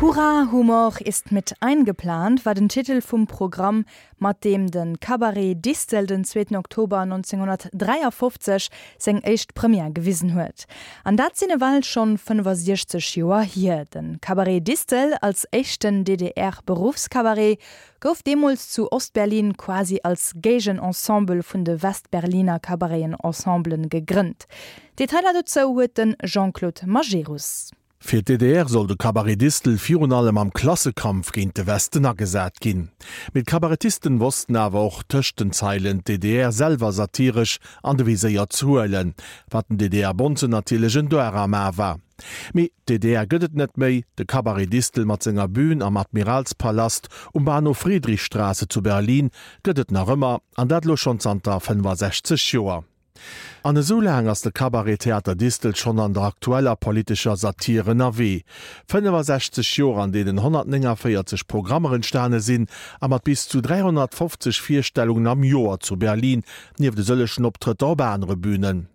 Hurra, Humor ist mit eingeplant war den Titel vum Programm, mat deem de Cabaret Distel den zweeten Oktober 1953 seng éischt Première gewisen huet. An dat sinn ewell schonn 65 Joer hier. De Cabaret Distel als éischten DDR-Beruffscabaret gouf deemools zu Ostberlin quasi als Géigenensemble vun de Westberliner Cabareten-Ensemblen gegrënnt. Detailer dozou huet de Jean-Claude Majerus. Fir d'DDR soll de Cabaret Distel virun allem am Klassekampf géint de Westen agesat ginn. Mee d'Kabarettisten wossten awer och tëscht den Zeilen d'DDR selwer satiresch an de Viséier ze huelen, wat den DDR-Bonzen natierlech en Dar am A war. Mee d'DDR gëtt et net méi, de Cabaret Distel mat senger Bühn am Admiralspalast um Bahnhof Friedrichstraße zu Berlin gëtt et nach ëmmer, an dat elo schonn zanter 65 Joer. An esou laang ass de Cabaret Theater Distel schonn an der aktueller politescher Satir ënnerwee. 65 Joer an deenen 149 Programmer entstane sinn a mat bis zu 350 Virstellungen am Joer zu Berlin, nieft e sëllechen Optrëtter op anere Bünen.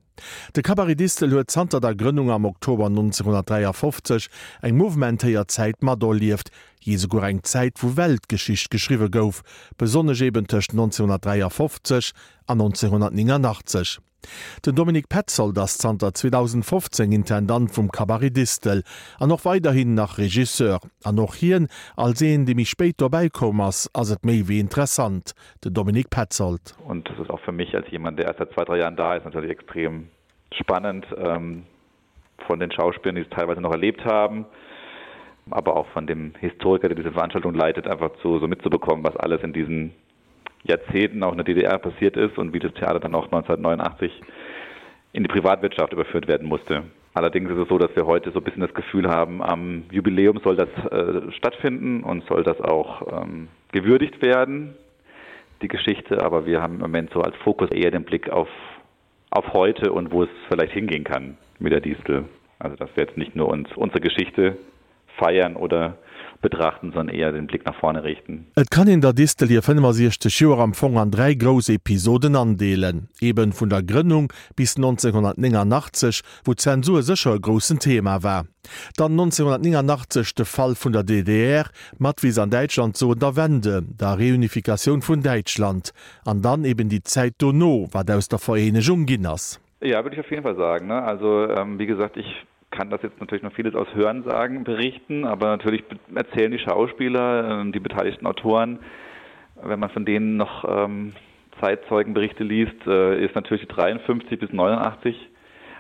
De Cabaret Distel huet zanter der Grënnung am Oktober 1953 eng mouvementéiert Zäit materlieft, jee souguer eng Zäit wou Weltgeschicht geschriwwe gouf, besonnesch eben tëscht 1953 an 1989. Den Dominique Petzold ass zanter 2015 Intendant vum Cabaret Distel an och weiderhin nach Regisseur. An och hien, als een dee méi spéit dobäi koum ass, ass et méi wéi interessant. Den Dominique Petzold. Und das ist auch für mich als jemand, der erst seit zwei, drei Jahren da ist, natürlich extrem spannend ähm, von den Schauspielern, die es teilweise noch erlebt haben, aber auch von dem Historiker, der diese Veranstaltung leitet, einfach zu, so mitzubekommen, was alles in diesen Jahrzehnten auch in der DDR passiert ist und wie das Theater dann auch 1989 in die Privatwirtschaft überführt werden musste. Allerdings ist es so, dass wir heute so ein bisschen das Gefühl haben, am Jubiläum soll das äh, stattfinden und soll das auch ähm, gewürdigt werden, die Geschichte. Aber wir haben im Moment so als Fokus eher den Blick auf, auf heute und wo es vielleicht hingehen kann mit der Distel. Also dass wir jetzt nicht nur uns unsere Geschichte feiern oder betrachten, sondern eher den Blick nach vorne richten. Et kann een der Distel hir 65 Joer am Fong an 3 grouss Episoden andeelen, eben vun der Grënnung bis 1989, wou d'Zensur sécher e groussen Thema war, dann 1989 de Fall vun der DDR, mat, wéi se an Däitschland soen, der Wende, der Reunifikatioun vun Däitschland, an dann eben déi Zäit dono, wat aus der Vereenegung ginn ass. Ja, würde ich auf jeden Fall sagen. Ne? Also ähm, wie gesagt, ich kann das jetzt natürlich noch vieles aus Hörensagen berichten, aber natürlich erzählen die Schauspieler, ähm, die beteiligten Autoren, wenn man von denen noch ähm, Zeitzeugenberichte liest, äh, ist natürlich 53 bis 89.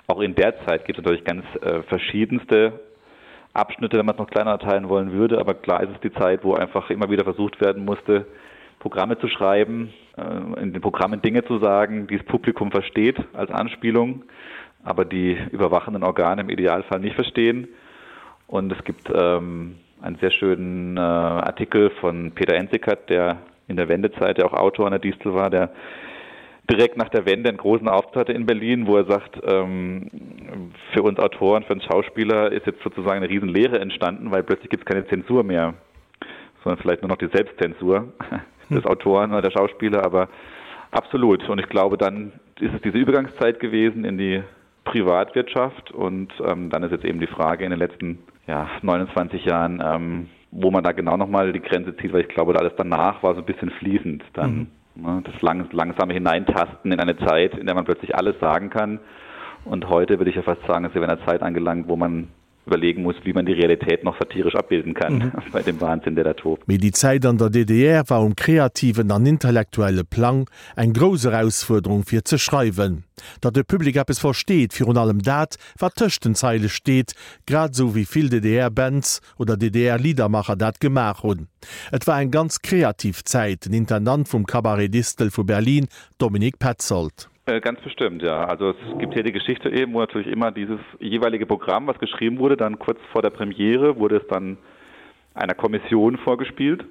Auch in der Zeit gibt es natürlich ganz äh, verschiedenste Abschnitte, wenn man es noch kleiner teilen wollen würde. Aber klar ist es die Zeit, wo einfach immer wieder versucht werden musste, Programme zu schreiben, äh, in den Programmen Dinge zu sagen, die das Publikum versteht als Anspielung, aber die überwachenden Organe im Idealfall nicht verstehen. Und es gibt ähm, einen sehr schönen äh, Artikel von Peter Enzikat, der in der Wendezeit ja auch Autor an der Distel war, der direkt nach der Wende einen großen Auftritt hatte in Berlin, wo er sagt, ähm, für uns Autoren, für uns Schauspieler ist jetzt sozusagen eine Riesenlehre entstanden, weil plötzlich gibt es keine Zensur mehr, sondern vielleicht nur noch die Selbstzensur des hm. Autoren oder der Schauspieler, aber absolut. Und ich glaube, dann ist es diese Übergangszeit gewesen in die Privatwirtschaft und ähm, dann ist jetzt eben die Frage in den letzten ja, 29 Jahren, ähm, wo man da genau noch mal die Grenze zieht, weil ich glaube, alles danach war so ein bisschen fließend dann. Mhm. Ne, das lang, langsame Hineintasten in eine Zeit, in der man plötzlich alles sagen kann. Und heute würde ich ja fast sagen, ist wir in einer Zeit angelangt, wo man überlegen muss, wie man die Realität noch satirisch abbilden kann mhm. bei dem Wahnsinn, der da tobt. Mee déi Zäit an der DDR war um kreativen an intellektuelle Plang eng grouss Erausfuerderung fir ze schreiwen, datt de Public eppes versteet, virun allem dat, wat tëscht den Zeile steet, grad esou wéi vill DDR-Bands oder DDR-Liedermacher dat gemaach hunn. Et war eng ganz kreativ Zäit. Den Intendant vum Cabaret Distel vu Berlin, Dominique Petzold. Äh, ganz bestimmt, ja. Also es gibt hier die Geschichte eben, wo natürlich immer dieses jeweilige Programm, was geschrieben wurde, dann kurz vor der Premiere wurde es dann einer Kommission vorgespielt,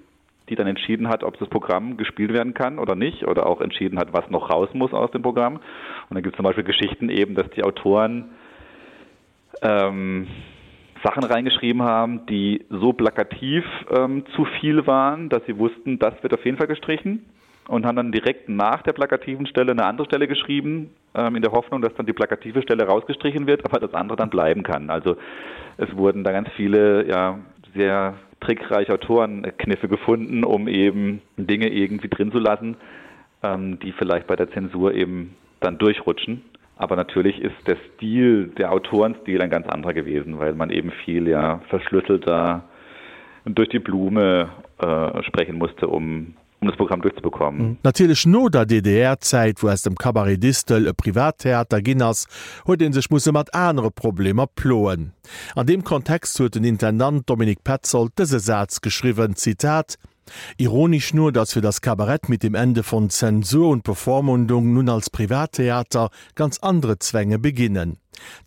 die dann entschieden hat, ob das Programm gespielt werden kann oder nicht oder auch entschieden hat, was noch raus muss aus dem Programm. Und dann gibt es zum Beispiel Geschichten eben, dass die Autoren ähm, Sachen reingeschrieben haben, die so plakativ ähm, zu viel waren, dass sie wussten, das wird auf jeden Fall gestrichen und haben dann direkt nach der plakativen Stelle eine andere Stelle geschrieben, ähm, in der Hoffnung, dass dann die plakative Stelle rausgestrichen wird, aber das andere dann bleiben kann. Also es wurden da ganz viele ja, sehr trickreiche Autorenkniffe gefunden, um eben Dinge irgendwie drin zu lassen, ähm, die vielleicht bei der Zensur eben dann durchrutschen. Aber natürlich ist der Stil, der Autorenstil ein ganz anderer gewesen, weil man eben viel ja verschlüsselter durch die Blume äh, sprechen musste, um um das Programm durchzubekommen. Natierlech no der DDR-Zäit, wou aus dem Cabaret Distel e Privattheater ginn ass, huet ee sech musse mat anere Problemer ploen. An deem Kontext huet den Intendant Dominique Petzold dëse Saz geschriwwen, Zitat, Ironisch nur, dass für das Kabarett mit dem Ende von Zensur und Bevormundung nun als Privattheater ganz andere Zwänge beginnen.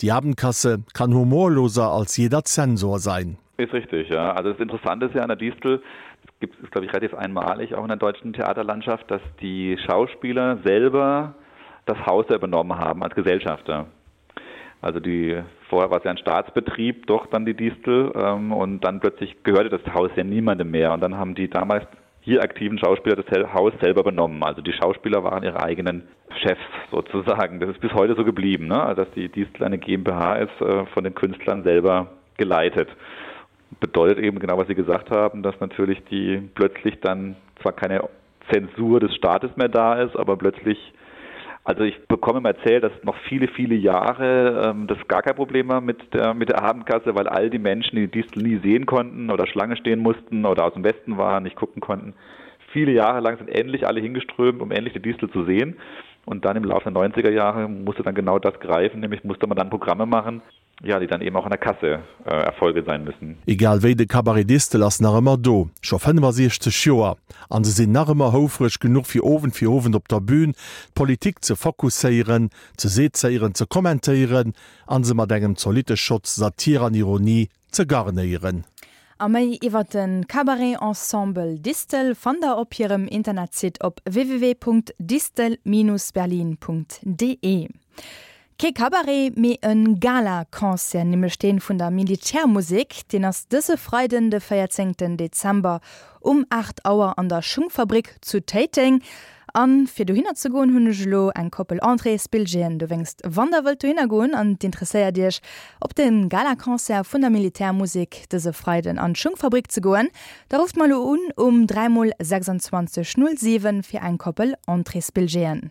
Die Abendkasse kann humorloser als jeder Zensor sein. Ist richtig, ja. Also das Interessante ist ja an der Distel, es gibt es glaube ich relativ einmalig auch in der deutschen Theaterlandschaft, dass die Schauspieler selber das Haus übernommen haben als Gesellschafter. Also die vorher war es ja ein Staatsbetrieb, doch dann die Distel ähm, und dann plötzlich gehörte das Haus ja niemandem mehr und dann haben die damals hier aktiven Schauspieler das Haus selber benommen. Also die Schauspieler waren ihre eigenen Chefs sozusagen. Das ist bis heute so geblieben, ne? also dass die Distel eine GmbH ist, äh, von den Künstlern selber geleitet. Bedeutet eben genau, was Sie gesagt haben, dass natürlich die plötzlich dann zwar keine Zensur des Staates mehr da ist, aber plötzlich also ich bekomme immer erzählt, dass noch viele, viele Jahre ähm, das gar kein Problem war mit der, mit der Abendkasse, weil all die Menschen, die die Distel nie sehen konnten oder Schlange stehen mussten oder aus dem Westen waren, nicht gucken konnten, viele Jahre lang sind endlich alle hingeströmt, um endlich die Distel zu sehen. Und dann im Laufe der 90er Jahre musste dann genau das greifen, nämlich musste man dann Programme machen, ja, déi dann eben auch an der Kasse Erfolge sein müssen. Egal wéi, de Cabaret Distel ass nach ëmmer do, scho 65 Joer, an se sinn nach ëmmer houfreg genuch fir Owend fir Owend op der Bühn d'Politik ze fokusséieren, ze sezéieren, ze kommentéieren an se mat engem zolitte Schotz Satir an Ironie ze garnéieren. A méi iwwer de Cabaret Ensemble Distel fannt der op hirem Internetsite op www.distel-berlin.de. Kee Cabaret, mee e Gala-Concert, nämlech dee vun der Militärmusek. Deen ass dëse Freiden, de 14 Dezember um 8 Auer an der Schungfabrik zu Téiteng. A fir dohinner ze goen, hunn ech elo eng Koppel Entréesbilljeeën. Dowéinst, wann der wëllt dohinner goen an et interesséiert iech, op de Gala-Concert vun der Militärmusek dëse Freiden an d'Schungfabrik ze goen, da rufft mer elo un um 3 mol 26 07 fir eng Koppel Entréesbilljeeën.